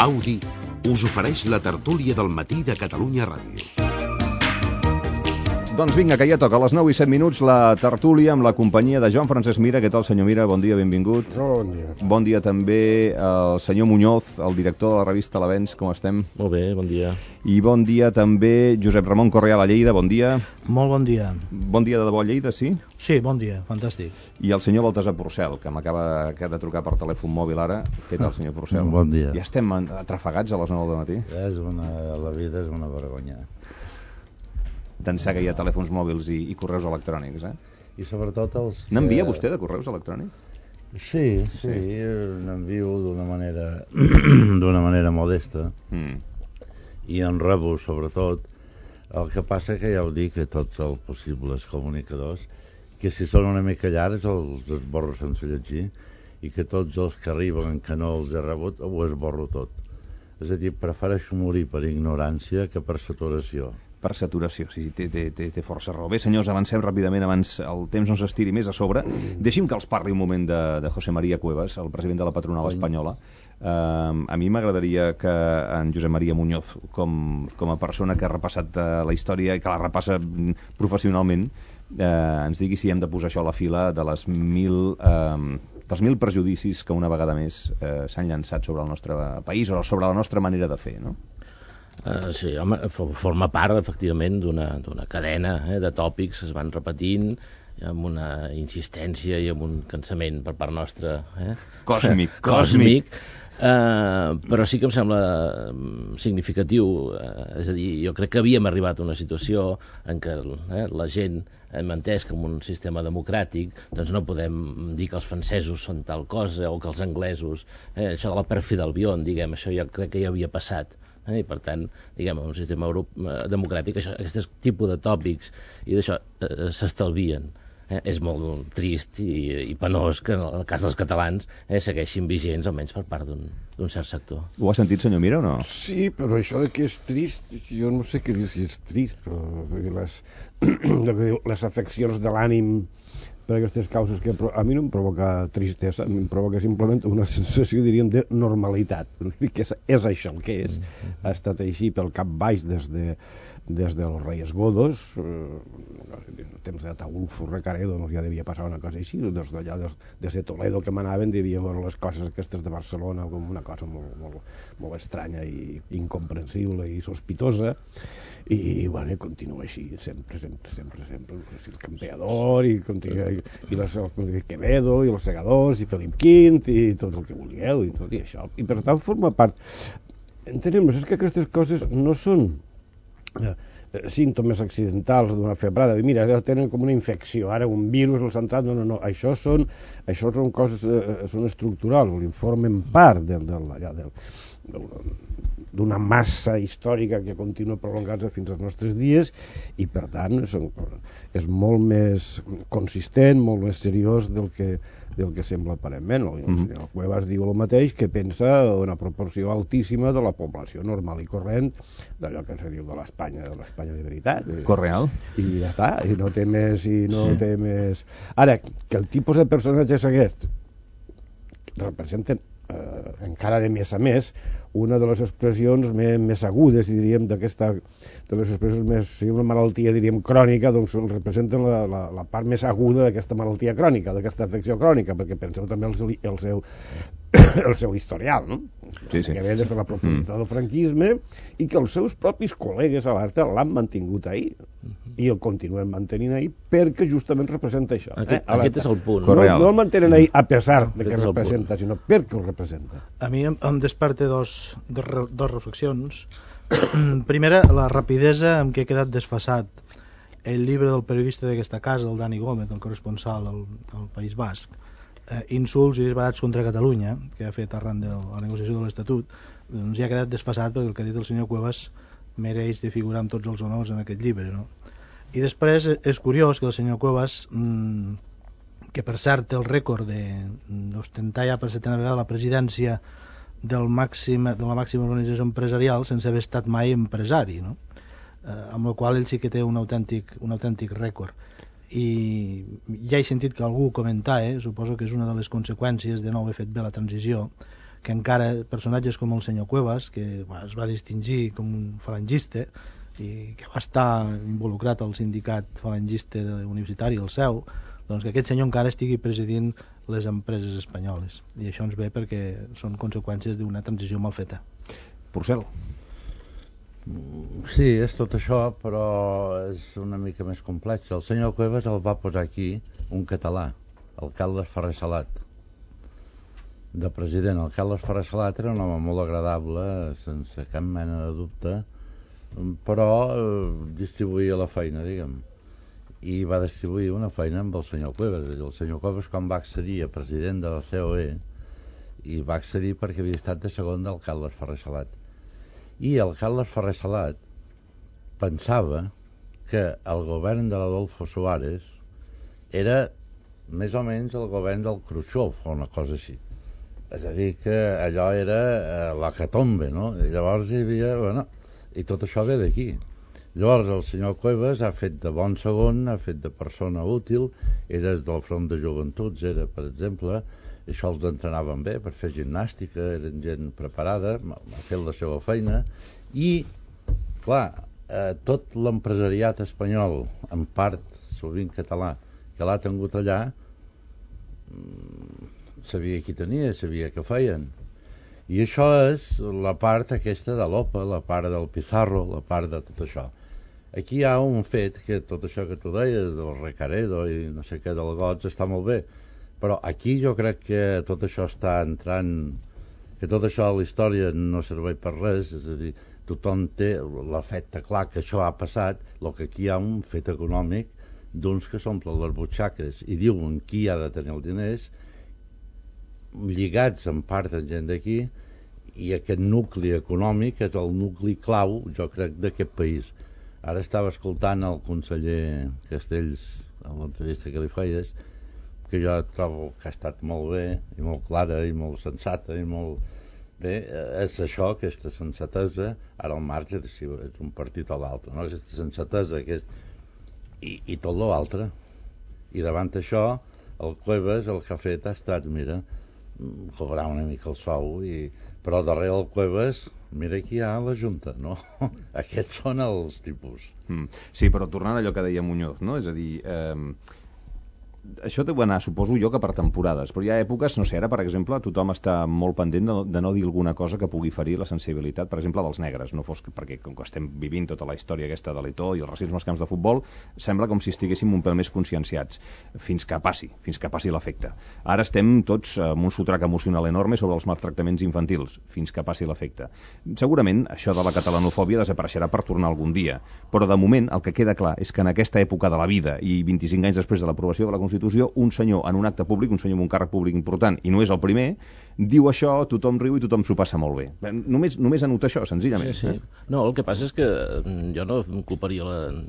Audi us ofereix la tertúlia del matí de Catalunya Ràdio. Doncs vinga, que ja toca. A les 9:07 la tertúlia amb la companyia de Joan Francesc Mira. Què tal, senyor Mira? Bon dia, benvingut. Bon dia. Bon dia també al senyor Muñoz, el director de la revista L'Avenç. Com estem? Molt bé, bon dia. I bon dia també Josep Ramon Correal a Lleida. Bon dia. Molt bon dia. Bon dia de debò a Lleida, sí? Sí, bon dia, fantàstic. I el senyor Baltasar Porcel, que m'acaba de trucar per telèfon mòbil ara. Què tal, senyor Porcel? Bon dia. Ja estem atrafegats a les 9 del matí? La vida és una vergonya. D'ençà que hi ha telèfons mòbils i correus electrònics, eh? I sobretot els... N'envia vostè de correus electrònics? Sí, n'envio d'una manera modesta. I en rebo, sobretot. El que passa que ja ho dic a tots els possibles comunicadors, que si són una mica llargs els esborro sense llegir, i que tots els que arriben que no els he rebut ho esborro tot. És a dir, prefereixo morir per ignorància que per saturació. Per saturació, sí, té força raó. Bé, senyors, avancem ràpidament abans el temps no s'estiri més a sobre. Deixi'm que els parli un moment de José María Cuevas, el president de la patronal espanyola. A mi m'agradaria que en Josep María Muñoz, com a persona que ha repassat la història i que la repassa professionalment, ens digui si hem de posar això a la fila de dels 1.000 prejudicis que una vegada més s'han llançat sobre el nostre país o sobre la nostra manera de fer, no? Sí, home, forma part, efectivament, d'una cadena de tòpics que es van repetint amb una insistència i amb un cansament per part nostra. Còsmic. Però sí que em sembla significatiu, és a dir, jo crec que havíem arribat a una situació en què la gent hem entès que en un sistema democràtic doncs no podem dir que els francesos són tal cosa o que els anglesos, això de la pèrfida Albion, diguem, això jo crec que ja havia passat. I per tant, diguem, en un sistema democràtic aquest tipus de tòpics i d'això s'estalvien. És molt trist i penós que en el cas dels catalans segueixin vigents, almenys per part d'un cert sector. Ho ha sentit, senyor Mira, o no? Sí, però això de que és trist, jo no sé què dir si és trist, però les afeccions de l'ànim per aquestes causes que a mi no em provoca tristesa, em provoca simplement una sensació, diríem, de normalitat. Que és això el que és. Ha estat així pel cap baix des dels Reyes Godos, en temps d'Ataulfo Recaredo ja devia passar una cosa així, des de Toledo que manaven devia veure les coses aquestes de Barcelona com una cosa molt estranya i incomprensible i sospitosa, i bueno, continua així sempre el Campeador i Quevedo i els Segadors i Felip V i tot el que vulgueu i tot i això, i per tant forma part. Entenem, és que aquestes coses no són símptomes accidentals d'una febrada, mira, tenen com una infecció, ara un virus els ha entrat, no, això són coses, són estructurals, formen part d'una massa històrica que continua prolongant-se fins als nostres dies i per tant és molt més consistent, molt més seriós del que sembla aparentment. El senyor Cuevas diu el mateix, que pensa una proporció altíssima de la població normal i corrent d'allò que se diu de l'Espanya de veritat. Correal. I ja està, i no té més. Ara, que el tipus de personatges aquests representen encara de més a més una de les expressions més agudes, diríem, de les expressions més, si una malaltia, diríem, crònica, doncs representen la part més aguda d'aquesta malaltia crònica, d'aquesta afecció crònica, perquè penseu també el seu historial, no? Sí. Que ve des de la profunditat del franquisme i que els seus propis col·legues a l'Arta l'han mantingut ahir i el continuen mantenint ahir perquè justament representa això. Aquest és el punt. No el mantenen ahir a pesar de que representa, sinó perquè el representa. A mi em desperta dos reflexions. Primera, la rapidesa amb què ha quedat desfasat el llibre del periodista d'aquesta casa, el Dani Gómez, el corresponsal al País Basc, insults i disbarats contra Catalunya, que ha fet arran de la negociació de l'Estatut, doncs ja ha quedat desfasat perquè el que ha dit el senyor Cuevas mereix de figurar amb tots els honors en aquest llibre, no? I després és curiós que el senyor Cuevas, que per cert té el rècord d'ostentar ja per setena vegada la presidència de la màxima organització empresarial sense haver estat mai empresari, no? Amb la qual ell sí que té un autèntic rècord. I ja he sentit que algú comentar, suposo que és una de les conseqüències de no haver fet bé la transició, que encara personatges com el senyor Cuevas, que es va distingir com un falangista i que va estar involucrat al sindicat falangista universitari, el seu, doncs que aquest senyor encara estigui presidint les empreses espanyoles. I això ens ve perquè són conseqüències d'una transició mal feta. Porcel. Sí, és tot això, però és una mica més complex. El senyor Cuevas el va posar aquí un català, el Carles Ferrer Salat, de president. El Carles Ferrer Salat era un home molt agradable, sense cap mena de dubte, però distribuïa la feina, diguem. I va distribuir una feina amb el senyor Cuevas. El senyor Cuevas, quan va accedir a president de la COE, i va accedir perquè havia estat de segon del Carles Ferrer Salat. I el Carles Ferrer Salat pensava que el govern de l'Adolfo Suárez era més o menys el govern del Khrushchev o una cosa així. És a dir, que allò era l'hecatombe, no? I llavors hi havia... Bueno, i tot això ve d'aquí. Llavors el senyor Cuevas ha fet de bon segon, ha fet de persona útil, era del front de joventuts, era, per exemple, això els entrenaven bé per fer gimnàstica, eren gent preparada, ha fet la seva feina, i, clar, tot l'empresariat espanyol, en part sovint català, que l'ha tingut allà, sabia qui tenia, sabia què feien. I això és la part aquesta de l'OPA, la part del Pizarro, la part de tot això. Aquí hi ha un fet que tot això que tu deies, del Recaredo i no sé què, del Gots, està molt bé, però aquí jo crec que tot això està entrant, que tot això a la història no serveix per res, és a dir, tothom té l'efecte clar que això ha passat, el que aquí hi ha un fet econòmic d'uns que s'omplen les butxaques i diuen qui ha de tenir els diners, lligats en part amb gent d'aquí, i aquest nucli econòmic és el nucli clau, jo crec, d'aquest país. Ara estava escoltant el conseller Castells en l'entrevista que li feies, que jo trobo que ha estat molt bé i molt clara i molt sensata i molt bé. És això, aquesta sensatesa, ara al marge de si és un partit o l'altre, no? Aquesta sensatesa i tot l'altre. I davant això el Cuevas el que ha fet ha estat, mira, cobrar una mica el sou, però darrere el Cuevas, mira qui hi ha a la Junta, no? Aquests són els tipus. Sí, però tornant a allò que deia Muñoz, no? És a dir, això deu anar, suposo jo, que per temporades, però hi ha èpoques, no sé, ara, per exemple, tothom està molt pendent de no dir alguna cosa que pugui ferir la sensibilitat, per exemple, dels negres, no fos perquè, com que estem vivint tota la història aquesta de l'Etó i el racisme als camps de futbol, sembla com si estiguéssim un pèl més conscienciats, fins que passi l'efecte. Ara estem tots amb un sotrac emocional enorme sobre els maltractaments infantils, fins que passi l'efecte. Segurament això de la catalanofòbia desapareixerà per tornar algun dia, però de moment el que queda clar és que en aquesta època de la vida i 25 anys després de l'aprovació de la Constitució, un senyor en un acte públic, un senyor amb un càrrec públic important, i no és el primer, diu això, tothom riu i tothom s'ho passa molt bé. Només anota això, senzillament. Sí. No, el que passa és que jo no em culparia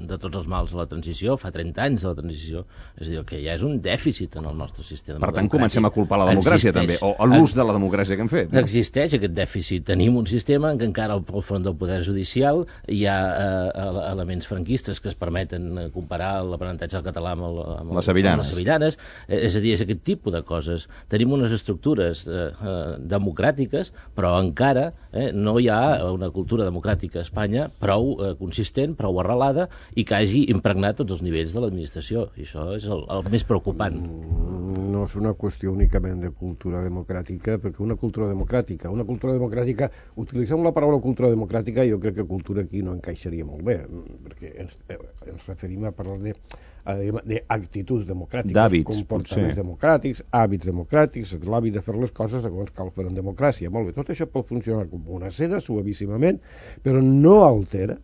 de tots els mals a la transició, fa 30 anys de la transició, és a dir, que ja és un dèficit en el nostre sistema democràtic. Per tant, comencem a culpar la democràcia també, o l'ús de la democràcia que hem fet. Existeix aquest dèficit. Tenim un sistema en què encara al front del poder judicial hi ha elements franquistes que es permeten comparar l'aprenentatge del català amb les sevillanes. És a dir, és aquest tipus de coses. Tenim unes estructures democràtiques, però encara no hi ha una cultura democràtica a Espanya prou consistent, prou arrelada i que hagi impregnat tots els nivells de l'administració. I això és el més preocupant. No és una qüestió únicament de cultura democràtica, perquè una cultura democràtica, utilitzem la paraula cultura democràtica, jo crec que cultura aquí no encaixaria molt bé, perquè ens referim a parlar d'actituds democràtiques, comportaments democràtics, hàbits democràtics, l'hàbit de fer les coses segons cal fer en democràcia. Molt bé, tot això pot funcionar com una seda, suavíssimament, però no altera,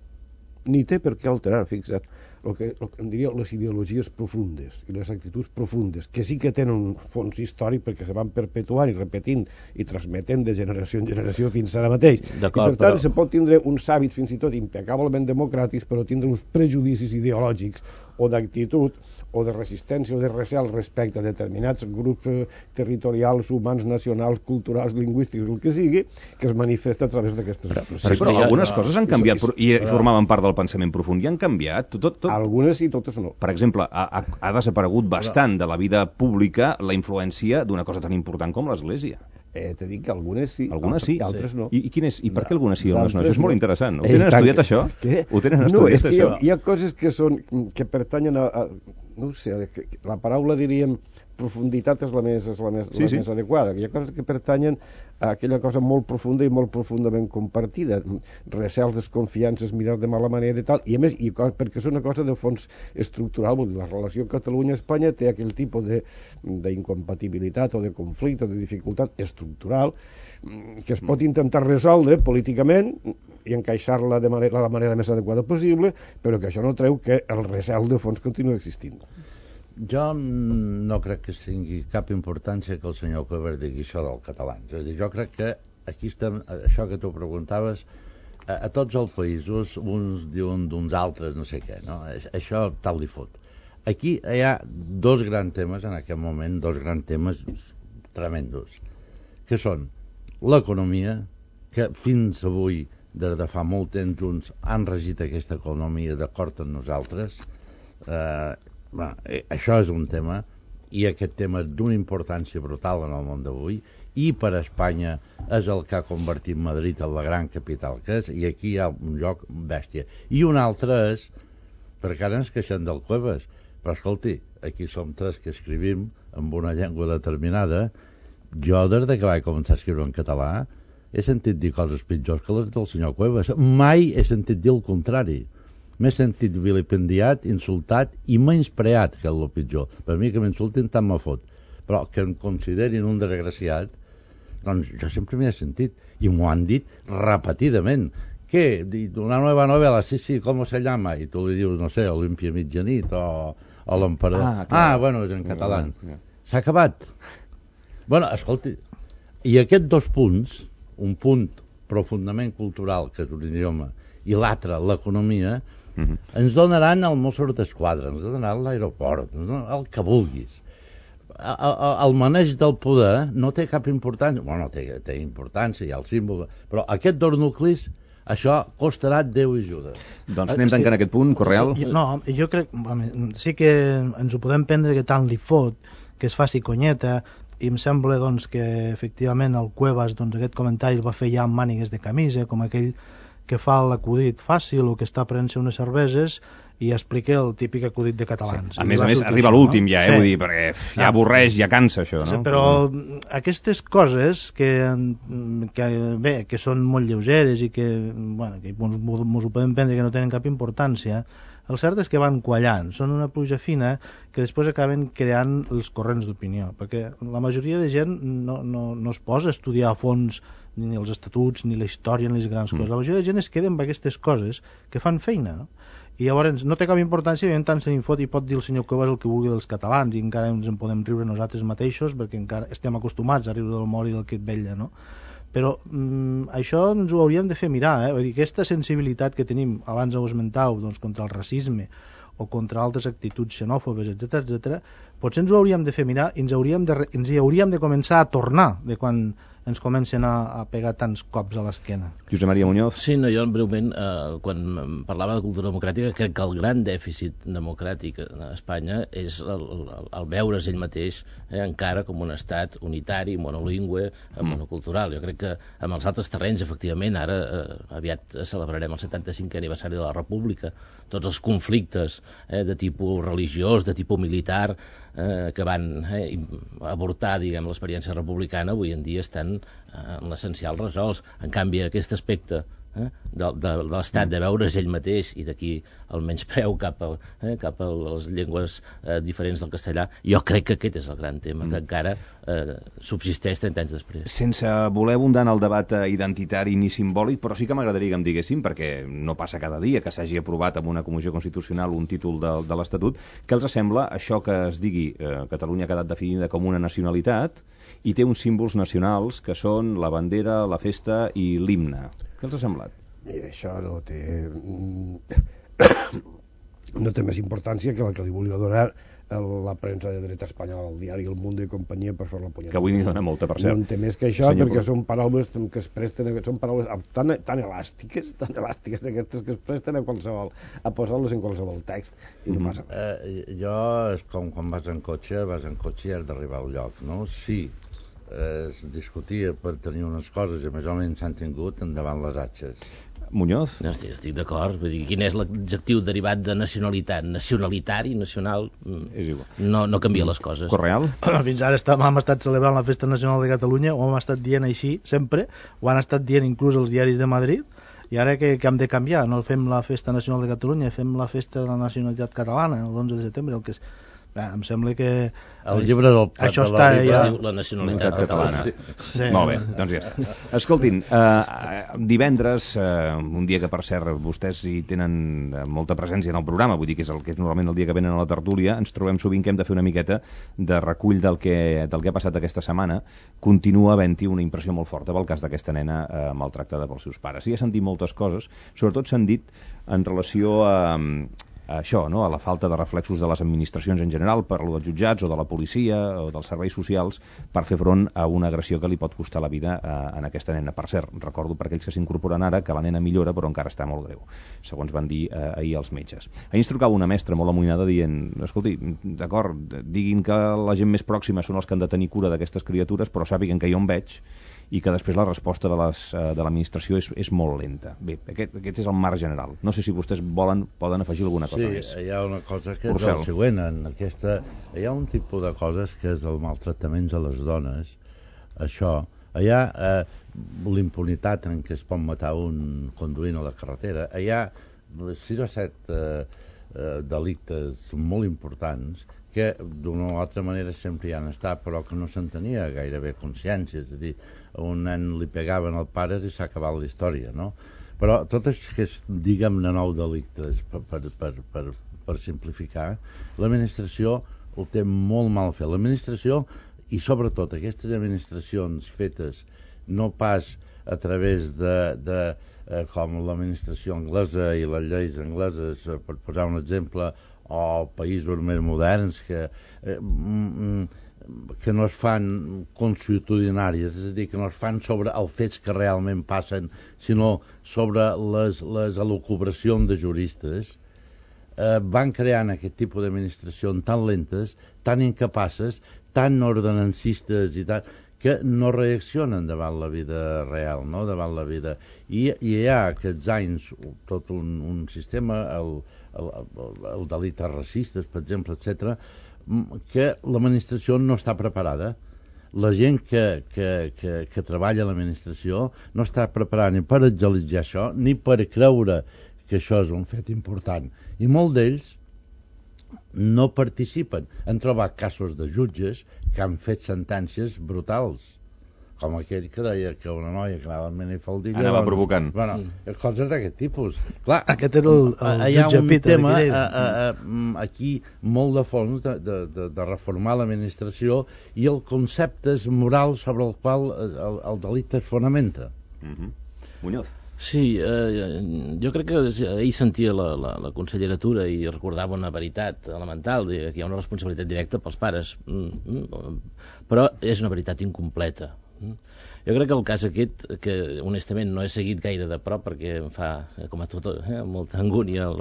ni té per què alterar, fixa't, el que em diria les ideologies profundes i les actituds profundes, que sí que tenen un fons històric perquè se van perpetuant i repetint i transmetent de generació en generació fins ara mateix. I per tant se pot tindre uns hàbits fins i tot impecablement democràtics, però tindre uns prejudicis ideològics o d'actitud o de resistència o de recel respecte a determinats grups territorials, humans, nacionals, culturals, lingüístics, el que sigui, que es manifesta a través d'aquestes expressions. Però algunes coses han canviat i formaven part del pensament profund i han canviat. Algunes sí, totes no. Per exemple, ha desaparegut bastant de la vida pública la influència d'una cosa tan important com l'Església. T'he dit que algunes sí, algunes sí, altres no. I per què algunes sí i algunes no? Això és molt interessant. Ho Eh, tenen tant estudiat, que- això? Què? Ho tenen No, estudiat, és que això? hi ha coses que pertanyen a no ho sé, la paraula diríem profunditat és la més adequada. Hi ha coses que pertanyen a aquella cosa molt profunda i molt profundament compartida. Recels, desconfiances, mirar de mala manera i tal. I a més, perquè és una cosa de fons estructural, vull dir, la relació Catalunya-Espanya té aquell tipus d'incompatibilitat o de conflicte o de dificultat estructural que es pot intentar resoldre políticament i encaixar-la de la manera més adequada possible, però que això no treu que el recel de fons continua existint. Jo no crec que tingui cap importància que el senyor Cuevas digui això del català. És a dir, jo crec que aquí estem, això que tu preguntaves, a tots els països uns diuen d'uns altres no sé què, no? Això tal li fot. Aquí hi ha dos grans temes en aquest moment, dos grans temes tremendos, que són l'economia, que fins avui, des de fa molt temps junts, han regit aquesta economia d'acord amb nosaltres. Això és un tema, i aquest tema és d'una importància brutal en el món d'avui, i per a Espanya és el que ha convertit Madrid en la gran capital que és, i aquí hi ha un lloc bèstia. I un altre és, perquè ara ens queixem del Cuevas, però escolti, aquí som tres que escrivim amb una llengua determinada. Jo, des que vaig començar a escriure en català, he sentit dir coses pitjors que les del senyor Cuevas. Mai he sentit dir el contrari. M'he sentit vilipendiat, insultat i menyspreat, que és el pitjor. Per mi que m'insultin tant me fot. Però que em considerin un desgraciat, doncs jo sempre m'hi he sentit. I m'ho han dit repetidament. ¿Qué? Una nueva novela, sí, ¿cómo se llama? I tu li dius, no sé, Olímpia Mitjanit o l'Emperador. Bueno, és en català. S'ha acabat. Bueno, escolti, i aquests dos punts, un punt profundament cultural, que és un idioma, i l'altre, l'economia, ens donaran el Mossos d'Esquadra, ens donaran l'aeroport, el que vulguis. El maneig del poder no té cap importància. Bueno, té importància, hi ha el símbol, però aquests dos nuclis, això costarà Déu i Judes. Doncs anem tancant aquest punt, Correal. No, jo crec, sí que ens ho podem prendre que tant li fot, que es faci conyeta, i em sembla doncs, que efectivament el Cuevas aquest comentari el va fer ja amb mànigues de camisa, com aquell que fa l'acudit fàcil o que està prenent-se unes cerveses i explica el típic acudit de catalans. Sí. A més, arriba a l'últim ja, vull dir, perquè ja avorreix, ja cansa això, no? Sí, però aquestes coses que són molt lleugeres i que mos ho podem prendre que no tenen cap importància, el cert és que van quallant, són una pluja fina que després acaben creant els corrents d'opinió, perquè la majoria de gent no es posa a estudiar a fons ni els estatuts, ni la història, ni les grans coses. La majoria de gent es queda amb aquestes coses que fan feina, no? I llavors no té cap importància i en tant se n'infot i pot dir el senyor Cuevas el que vulgui dels catalans i encara ens en podem riure nosaltres mateixos perquè encara estem acostumats a riure del mort i del que et vetlla, no? Però això ens ho hauríem de fer mirar, Vull dir, aquesta sensibilitat que tenim, abans ho esmentau, doncs, contra el racisme o contra altres actituds xenòfobes, etc., potser ens ho hauríem de fer mirar i ens hi hauríem de començar a tornar de quan ens comencen a pegar tants cops a l'esquena. Josep Maria Muñoz. Sí, no, jo breument, quan parlava de cultura democràtica, crec que el gran dèficit democràtic a Espanya és el veure's ell mateix encara com un estat unitari, monolingüe, monocultural. Jo crec que amb els altres terrenys, efectivament, ara aviat celebrarem el 75è aniversari de la República, tots els conflictes de tipus religiós, de tipus militar, que van avortar, diguem, l'experiència republicana, avui en dia estan en l'essencial resolts. En canvi, aquest aspecte de l'estat de veure's ell mateix i d'aquí el menyspreu cap a les llengües diferents del castellà, jo crec que aquest és el gran tema que encara subsisteix 30 anys després. Sense voler abundar en el debat identitari ni simbòlic, però sí que m'agradaria que em diguéssim, perquè no passa cada dia que s'hagi aprovat amb una comissió constitucional un títol de l'Estatut, què els sembla això que es digui Catalunya ha quedat definida com una nacionalitat i té uns símbols nacionals que són la bandera, la festa i l'himne? Què els ha semblat? Mira, això no té més importància que la que li volia donar la premsa de dreta espanyola, el diari El Mundo i companyia per fer la punyada. Que avui n'hi dona molta, per cert. No en té més que això, perquè són paraules que es presten, són paraules tan elàstiques aquestes que es presten a posar-les en qualsevol text i no passa res. Jo és com quan vas en cotxe i has d'arribar al lloc, no? Sí, es discutia per tenir unes coses i més o menys s'han tingut endavant les atxes. Muñoz? No, estic d'acord. Vull dir, quin és l'adjectiu derivat de nacionalitat? Nacionalitari, nacional... És igual. No canvia les coses. Correal? Fins ara hem estat celebrant la Festa Nacional de Catalunya, ho hem estat dient així sempre, ho han estat dient inclús els diaris de Madrid, i ara que hem de canviar, no fem la Festa Nacional de Catalunya, fem la Festa de la Nacionalitat Catalana, l'11 de setembre, el que és... Em sembla que... El llibre del això està ja... La nacionalitat catalana. Sí. Molt bé, doncs ja està. Escoltin, divendres, un dia que per cert vostès hi tenen molta presència en el programa, vull dir que és normalment el dia que venen a la tertúlia, ens trobem sovint que hem de fer una miqueta de recull del que ha passat aquesta setmana. Continua havent-hi una impressió molt forta pel cas d'aquesta nena maltractada pels seus pares. I ha sentit moltes coses, sobretot s'han dit en relació a això, no? A la falta de reflexos de les administracions en general, per lo dels jutjats o de la policia o dels serveis socials per fer front a una agressió que li pot costar la vida en aquesta nena. Per cert, recordo per aquells que s'incorporen ara que la nena millora però encara està molt greu, segons van dir ahir els metges. Ahir ens trucava una mestra molt amoïnada dient, escolti, d'acord, diguin que la gent més pròxima són els que han de tenir cura d'aquestes criatures, però sàpiguen que jo em veig i que després la resposta de l'administració és molt lenta. Bé, aquest és el marc general. No sé si vostès poden afegir alguna cosa més. Sí, hi ha una cosa que és el següent. Hi ha un tipus de coses que és el maltractament a les dones. Això. Hi ha l'impunitat en què es pot matar un conduint a la carretera. Hi ha 6 o 7 delictes molt importants que d'una o altra manera sempre hi han estat, però que no se'n tenia gairebé consciència. És a dir, a un nen li pegaven al pare i s'ha acabat la història, no? Però tot això que és, diguem-ne, nou delictes, per simplificar, l'administració ho té molt mal fet. L'administració, i sobretot aquestes administracions fetes no pas a través de com l'administració anglesa i les lleis angleses, per posar un exemple, o països més moderns que no es fan consuetudinàries, és a dir, que no es fan sobre els fets que realment passen, sinó sobre les elucubracions de juristes, van creant aquest tipus d'administracions tan lentes, tan incapaces, tan ordenancistes i tal, que no reaccionen davant la vida real, no? Davant la vida. I hi ha aquests anys tot un sistema, el delictes racistes, per exemple, etc., que l'administració no està preparada. La gent que treballa a l'administració no està preparada ni per agilitzar això, ni per creure que això és un fet important. I molts d'ells no participen. Han trobat casos de jutges que han fet sentències brutals, com aquell que deia que una noia que anava amb minifaldilla... Anava provocant. Bueno, coses d'aquest tipus. Clar, aquest era el jutge Peter. Hi ha un tema aquí molt de fons de reformar l'administració i el conceptes morals sobre el qual el delicte es fonamenta. Muñoz. Sí, jo crec que ahir sentia la consellera Tura i recordava una veritat elemental, que hi ha una responsabilitat directa pels pares, però és una veritat incompleta. Jo crec que el cas aquest, que honestament no he seguit gaire de prop perquè em fa, com a tot, molta angúnia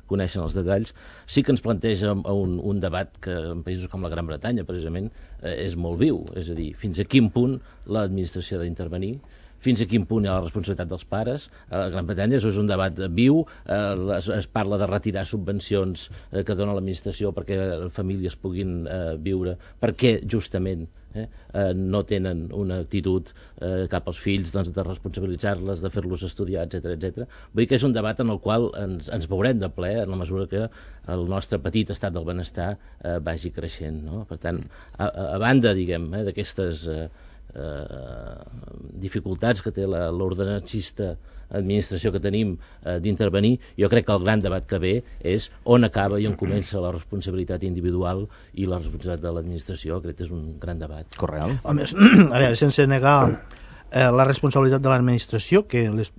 conèixer els detalls, sí que ens planteja un debat que en països com la Gran Bretanya, precisament, és molt viu. És a dir, fins a quin punt l'administració ha d'intervenir, fins a quin punt hi ha la responsabilitat dels pares. A la Gran Bretanya és un debat viu, es parla de retirar subvencions que dona l'administració perquè famílies puguin viure, perquè justament no tenen una actitud cap als fills de responsabilitzar-les, de fer-los estudiar, etc. Vull dir que és un debat en el qual ens veurem de ple en la mesura que el nostre petit estat del benestar vagi creixent, no? Per tant, a banda, diguem, d'aquestes dificultats que té l'ordenancista administració que tenim d'intervenir, jo crec que el gran debat que ve és on acaba i on comença la responsabilitat individual i la responsabilitat de l'administració. Crec que és un gran debat. Correal. A veure, sense negar la responsabilitat de l'administració, que les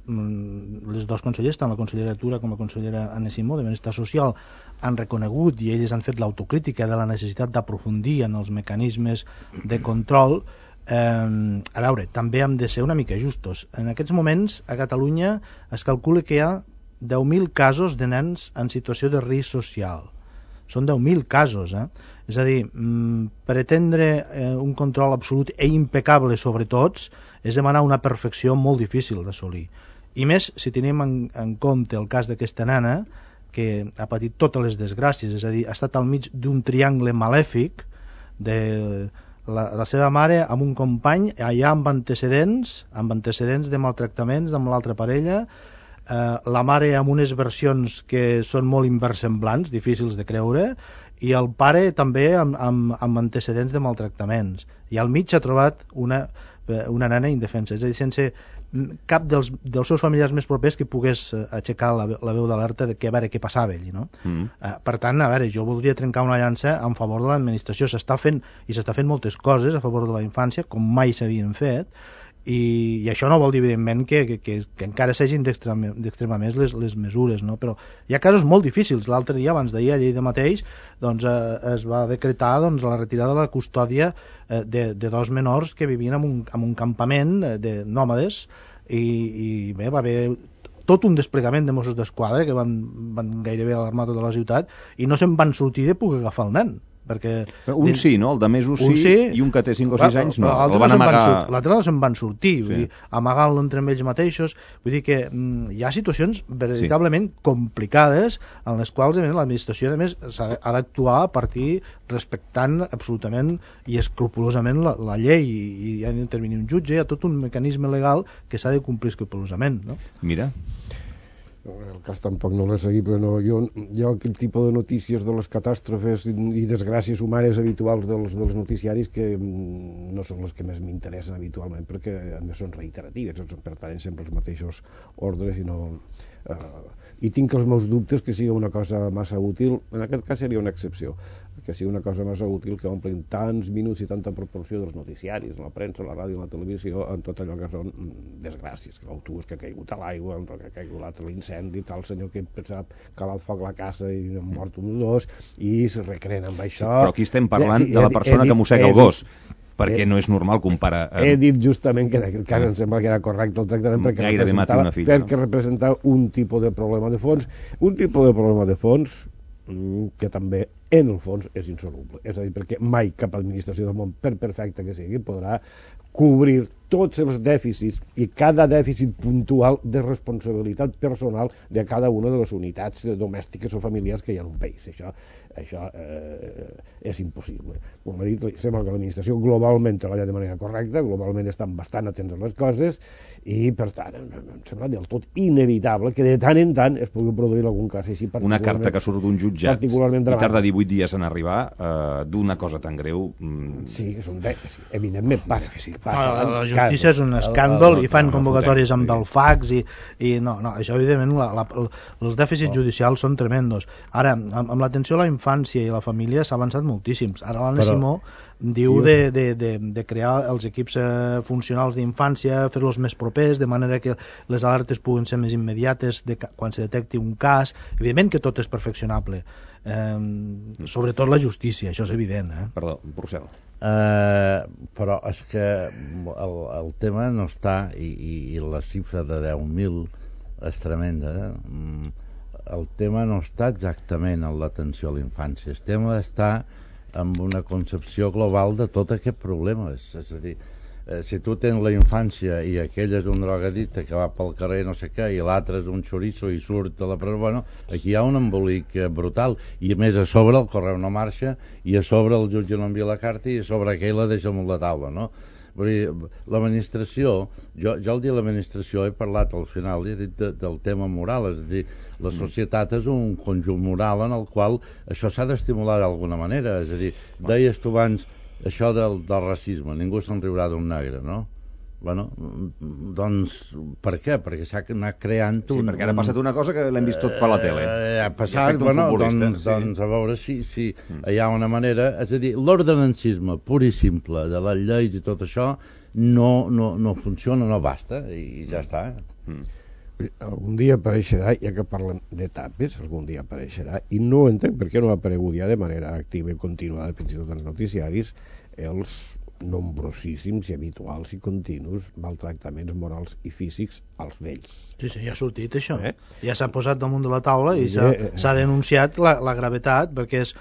dos consellers, tant la consellera Tura com la consellera Anna Simó de Benestar Social, han reconegut i elles han fet l'autocrítica de la necessitat d'aprofundir en els mecanismes de control. A veure, també hem de ser una mica justos. En aquests moments a Catalunya es calcula que hi ha 10.000 casos de nens en situació de risc social. són 10.000 casos, És a dir, pretendre un control absolut i impecable sobre tots és demanar una perfecció molt difícil d'assolir. I més si tenim en compte el cas d'aquesta nana que ha patit totes les desgràcies, és a dir, ha estat al mig d'un triangle malèfic de la seva mare amb un company allà amb antecedents de maltractaments amb l'altra parella, la mare amb unes versions que són molt inversemblants, difícils de creure, i el pare també amb antecedents de maltractaments, i al mig s'ha trobat una nana indefensa, és a dir, sense cap dels seus familiars més propers que pogués aixecar la veu d'alerta de que a veure què passava allí, no? Per tant, a veure, jo voldria trencar una llança en favor de l'administració. S'està fent moltes coses a favor de la infància com mai s'havien fet, i això no vol dir evidentment que encara s'hagin d'extremar més les mesures, no? Però hi ha casos molt difícils. L'altre dia, abans d'ahir, a Lleida mateix, doncs, es va decretar la retirada de la custòdia de 2 menors que vivien en un campament de nòmades, i bé, va haver tot un desplegament de Mossos d'Esquadra que van gairebé alarmar tota la ciutat i no se'n van sortir de poder agafar el nen. Perquè sí, no? El de més sí, i un que té 5 o 6 anys no. L'altre no se'n van sortir, vull dir, amagant-lo entre ells mateixos. Vull dir que hi ha situacions veritablement complicades en les quals l'administració a més ha d'actuar a partir respectant absolutament i escrupolosament la llei, i ha d'intervenir un jutge. Hi ha tot un mecanisme legal que s'ha de complir escrupolosament, no? Mira, el cas tampoc no l'he seguit, però no, jo aquest tipus de notícies de les catàstrofes i desgràcies humanes habituals dels noticiaris, que no són les que més m'interessen habitualment, perquè a més són reiteratives, pertanyen sempre als mateixos ordres i tinc els meus dubtes que sigui una cosa massa útil. En aquest cas seria una excepció, que sigui una cosa massa útil que omplin tants minuts i tanta proporció dels noticiaris, la premsa, la ràdio, la televisió, en tot allò que són desgràcies, que l'autobús que ha caigut a l'aigua, el que ha caigut l'altre, l'incendi, tal senyor que pensava que ha foc la casa i han mort un o dos, i se recreen amb això. Però aquí estem parlant de la persona que mossega el gos, perquè no és normal comparar... He dit justament que en aquest cas em sembla que era correcte el tractament perquè representava un tipus de problema de fons, que també en el fons és insoluble, és a dir, perquè mai cap administració del món, per perfecta que sigui, podrà cobrir tots els dèficits i cada dèficit puntual de responsabilitat personal de cada una de les unitats domèstiques o familiars que hi ha en un país. Això és impossible. Com he dit, sembla que l'administració globalment treballa de manera correcta, globalment estan bastant atents a les coses, i per tant em sembla del tot inevitable que de tant en tant es pugui produir algun cas així. Una carta que surt d'un jutjat i tarda 18 dies en arribar, d'una cosa tan greu... Sí, evidentment passa. La justícia és un escàndol i fan convocatòries amb el fax i no, això evidentment els dèficits judicials són tremendos. Ara, amb l'atenció a la infància i a la família s'ha avançat moltíssims. Ara l'Anna Simó diu de crear els equips funcionals d'infància, fer-los més propers, de manera que les alertes puguin ser més immediates quan se detecti un cas. Evidentment que tot és perfeccionable, sobretot la justícia, això és evident. Perdó, Porcel. Però és que el tema no està, i la xifra de 10.000 és tremenda, el tema no està exactament en l'atenció a la infància, el tema està amb una concepció global de tot aquest problema. És a dir, si tu tens la infància i aquell és un drogadicte que va pel carrer no sé què i l'altre és un xoriço i surt de la presó, bueno, aquí hi ha un embolic brutal, i a més a sobre el correu no marxa, i a sobre el jutge no envia la carta, i a sobre aquell la deixa amb la taula, no? Vull dir, l'administració, jo al dir l'administració he parlat al final, he dit del tema moral, és a dir, la societat és un conjunt moral en el qual això s'ha d'estimular d'alguna manera. És a dir, deies tu abans això del racisme, ningú se'n riurà d'un negre, no? Bueno, doncs, per què? Perquè s'ha anat creant un... Sí, perquè ara ha passat una cosa que l'hem vist tot per la tele. Ha passat, bueno, doncs a veure si hi ha una manera... És a dir, l'ordenancisme pur i simple de les lleis i tot això no funciona, no basta, i ja està. Algun dia apareixerà, ja que parlem d'etapes, algun dia apareixerà, i no entenc per què no ha aparegut ja de manera activa i continuada, fins i tot als noticiaris, els nombrosíssims i habituals i continus maltractaments morals i físics als vells. Sí, ja ha sortit això. Ja s'ha posat damunt de la taula i s'ha denunciat la gravetat, perquè és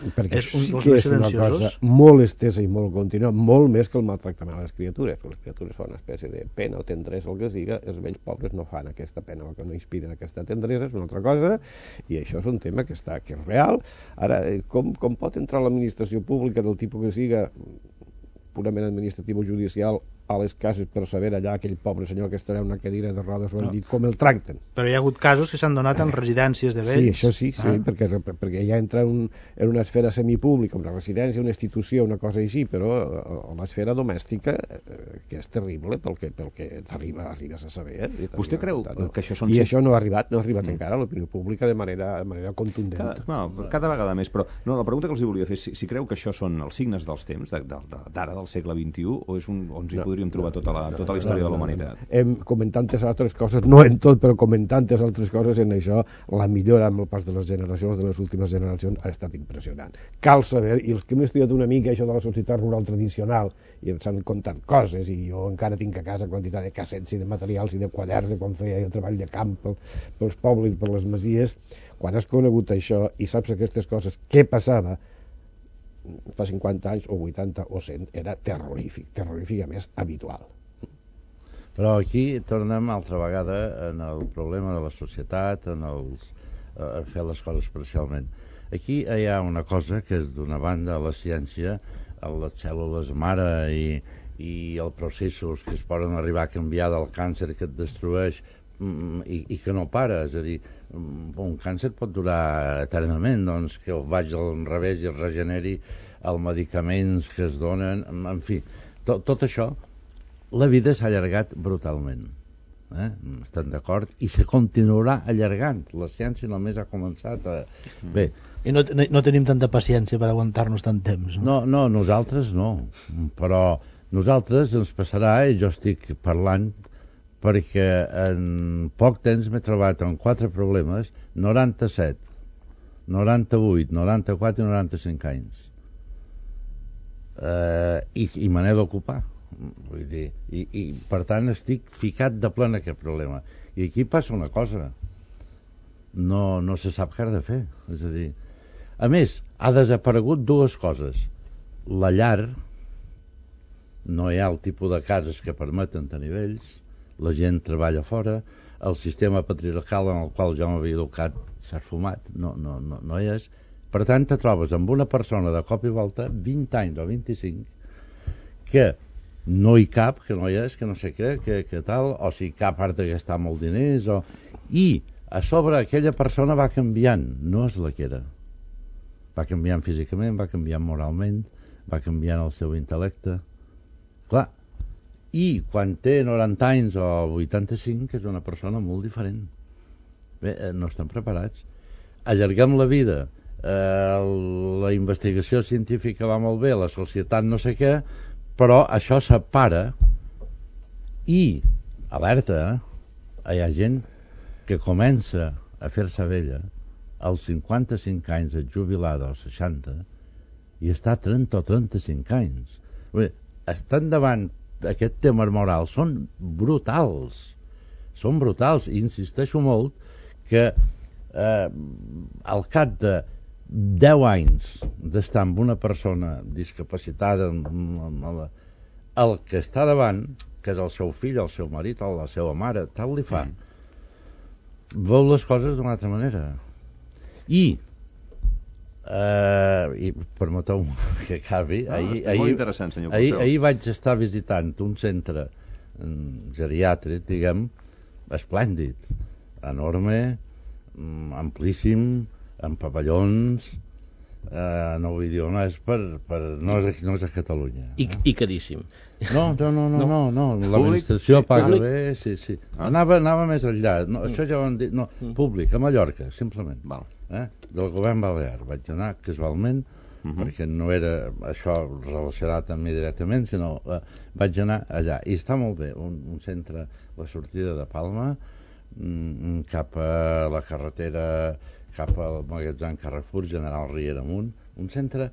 un dels més una cosa molt estesa i molt contínua, molt més que el maltractament a les criatures. Les criatures fan una espècie de pena o tendresa, el que siga, els vells pobres no fan aquesta pena o que no inspiren aquesta tendresa, és una altra cosa, i això és un tema que és real. Ara, com pot entrar l'administració pública del tipus que siga, purament administratiu o judicial, a les cases per saber allà aquell pobre senyor que estarà en una cadira de rodes o dit com el tracten? Però hi ha hagut casos que s'han donat en residències de vells. Sí, això sí, perquè ja entra en una esfera semipública, una residència, una institució, una cosa així, però l'esfera domèstica, que és terrible pel que arribes a saber. Vostè creu que això són... I això no ha arribat encara a l'opinió pública de manera contundent. Cada vegada més, però la pregunta que els volia fer és si creu que això són els signes dels temps, d'ara, del segle XXI, o és on s'hi podríem trobar tota la història de la humanitat? Com en tantes altres coses, no en tot, però com en tantes altres coses, en això la millora amb el pas de les generacions, de les últimes generacions, ha estat impressionant. Cal saber, i els que hem estudiat una mica això de la societat rural tradicional i ens han contat coses, i jo encara tinc a casa quantitat de cassets i de materials i de quaderns de quan feia el treball de camp pels pobles i per les masies, quan has conegut això i saps aquestes coses, què passava fa 50 anys o 80 o 100, era terrorífic a més habitual. Però aquí tornem altra vegada en el problema de la societat, a fer les coses parcialment. Aquí hi ha una cosa que és d'una banda la ciència, les cèl·lules mare i els processos que es poden arribar a canviar del càncer que et destrueix i que no para, és a dir, un càncer pot durar eternament, doncs que vagi al revés i es regeneri els medicaments que es donen, en fi, tot això, la vida s'ha allargat brutalment, estem d'acord, i se continuarà allargant, la ciència només ha començat a... Bé, i no tenim tanta paciència per aguantar-nos tant temps, no? No, nosaltres no, però nosaltres ens passarà, i jo estic parlant perquè en poc temps m'he trobat amb 4 problemes, 97, 98, 94 i 95 anys. I me n'he d'ocupar. Vull dir, i per tant estic ficat de ple en aquest problema. I aquí passa una cosa. No se sap què ha de fer. És a dir, a més, ha desaparegut 2 coses. La llar, no hi ha el tipus de cases que permeten tenir vells, la gent treballa fora, el sistema patriarcal en el qual jo m'havia educat s'ha esfumat, no hi és. Per tant, te trobes amb una persona de cop i volta, 20 anys o 25, que no hi cap, que no hi és, que no sé què, que tal, o si cap part de gastar molt diners, i a sobre aquella persona va canviant, no és la que era. Va canviant físicament, va canviant moralment, va canviant el seu intel·lecte. Clar, i quan té 90 anys o 85 és una persona molt diferent. Bé, no estem preparats. Allarguem la vida, la investigació científica va molt bé, la societat no sé què, però això separa i, alerta, hi ha gent que comença a fer-se vella als 55 anys, et jubilada als 60, i està 30 o 35 anys. Bé, estan davant aquest tema moral, són brutals, i insisteixo molt que al cap de 10 anys d'estar amb una persona discapacitada, el que està davant, que és el seu fill, el seu marit o la seva mare, tal li fa, veu les coses d'una altra manera. I permeteu que acabi, ahir vaig estar visitant un centre geriàtric, diguem, esplèndid, enorme, amplíssim, amb pavellons, no vull dir on és, no és a Catalunya. I caríssim. No, l'administració paga bé, sí. Anava més enllà, això ja ho han dit, públic, a Mallorca, simplement. Del govern balear. Vaig anar casualment, perquè no era això relacionat amb mi directament, sinó vaig anar allà. I està molt bé, un centre, la sortida de Palma, cap a la carretera, cap al magatzem Carrefour, General Riera amunt, un centre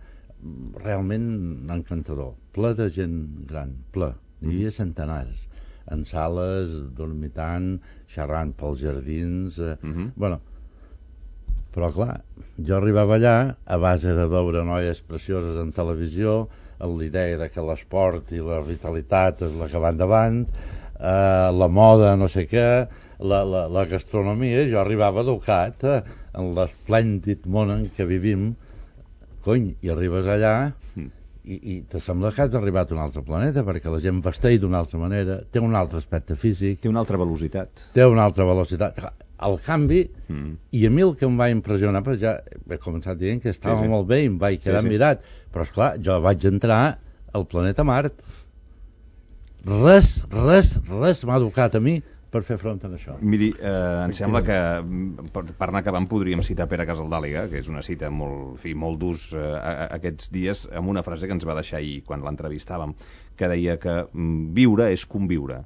realment encantador, ple de gent gran, ple, hi havia centenars, en sales, dormitant, xerrant pels jardins, bueno, però clar, jo arribava allà a base de veure noies precioses en televisió, amb l'idea de que l'esport i la vitalitat és la que va endavant, la moda, no sé què, la gastronomia. Jo arribava educat en l'esplèndid món en què vivim, cony, i arribes allà i te sembla que has arribat a un altre planeta, perquè la gent vesteix d'una altra manera, té un altre aspecte físic, Té una altra velocitat. El canvi, i a mi el que em va impressionar, perquè ja he començat dient que estava molt bé i em vaig quedar mirat, però esclar, jo vaig entrar al planeta Mart. Res m'ha educat a mi per fer front a això. Miri, em sembla que per anar acabant podríem citar Pere Casaldàliga, que és una cita molt d'ús aquests dies, amb una frase que ens va deixar ahir quan l'entrevistàvem, que deia que viure és conviure.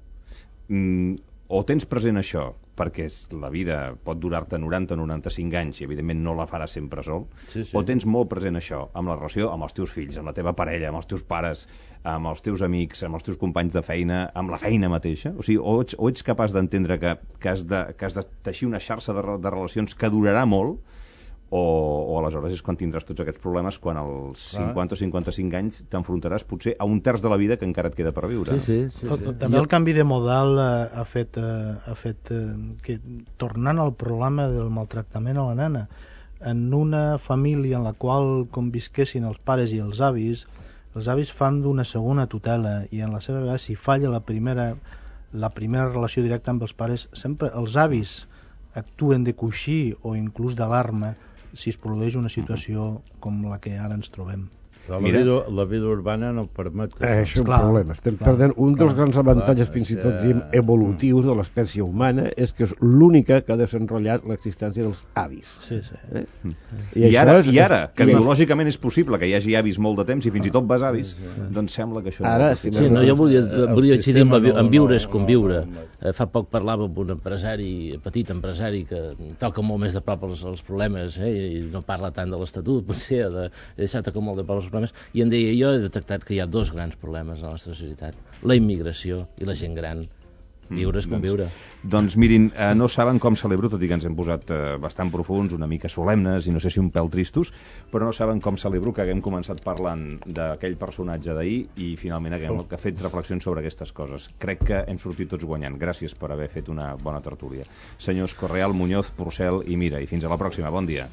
O tens present això, perquè la vida pot durar-te 90-95 anys i evidentment no la faràs sempre sol, o tens molt present això amb la relació amb els teus fills, amb la teva parella, amb els teus pares, amb els teus amics, amb els teus companys de feina, amb la feina mateixa? O sigui, o ets capaç d'entendre que has de teixir una xarxa de relacions que durarà molt, o aleshores és quan tindràs tots aquests problemes, quan als 50 o 55 anys t'enfrontaràs potser a un terç de la vida que encara et queda per viure. Sí. També el canvi de model ha fet que, tornant al problema del maltractament a la nena, en una família en la qual convisquessin els pares i els avis fan d'una segona tutela, i en la seva vegada, si falla la primera relació directa amb els pares, sempre els avis actuen de coixí o inclús d'alarma si es produeix una situació com la que ara ens trobem. Però la vida urbana no permet... Això és un problema. Estem perdent un dels grans avantatges, fins i tot evolutius de l'espècie humana, és que és l'única que ha desenrotllat l'existència dels avis. I ara, que biològicament és possible que hi hagi avis molt de temps i fins i tot besavis, doncs sembla que això... Jo volia incidir en viure és conviure. Fa poc parlava amb un petit empresari que toca molt més de prop els problemes, i no parla tant de l'Estatut, potser, de deixar tocar molt de prop els problemes, i em deia, jo he detectat que hi ha dos grans problemes a la nostra societat: la immigració i la gent gran. Viure és conviure. Doncs mirin, no saben com celebro, tot i que ens hem posat bastant profuns, una mica solemnes i no sé si un pèl tristos, però no saben com celebro que haguem començat parlant d'aquell personatge d'ahir i finalment haguem fet reflexions sobre aquestes coses. Crec que hem sortit tots guanyant. Gràcies per haver fet una bona tertúlia. Senyors Correal, Muñoz, Porcel i Mira, i fins a la pròxima. Bon dia.